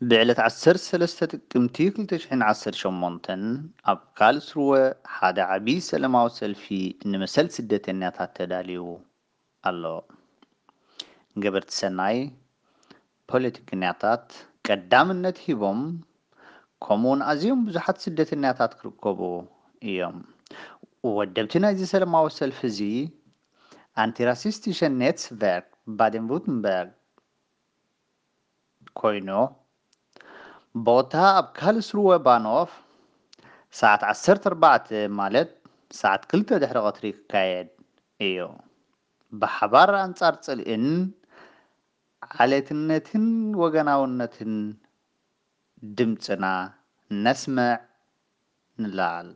ብዕለት ዓሰርተ ሰለስተ ጥቅምቲ ክልተ ሽሕን ዓሰርተ ሸሞንተን ኣብ ካልስሩወ ሓደ ዓቢ ሰለማዊ ሰልፊ ንመሰል ስደተኛታት ተዳልዩ ኣሎ። ገበርቲ ሰናይ፣ ፖለቲከኛታት ቀዳምነት ሂቦም፣ ከምኡውን ኣዝዮም ብዙሓት ስደተኛታት ክርከቡ እዮም። ወደብቲ ናይዚ ሰለማዊ ሰልፊ እዚ ኣንቲራሲስቲሸን ኔትስቨርክ ባደን ቡርተንበርግ ኮይኑ፣ ቦታ ኣብ ካልስሩወ ባኖፍ ሰዓት ዓሰርተ ኣርባዕተ ማለት ሰዓት ክልተ ድሕሪ ቀትሪ ክካየድ እዩ። ብሓባር ኣንጻር ጽልእን ዓሌትነትን ወገናውነትን ድምጽና ነስምዕ፣ ንለዓል።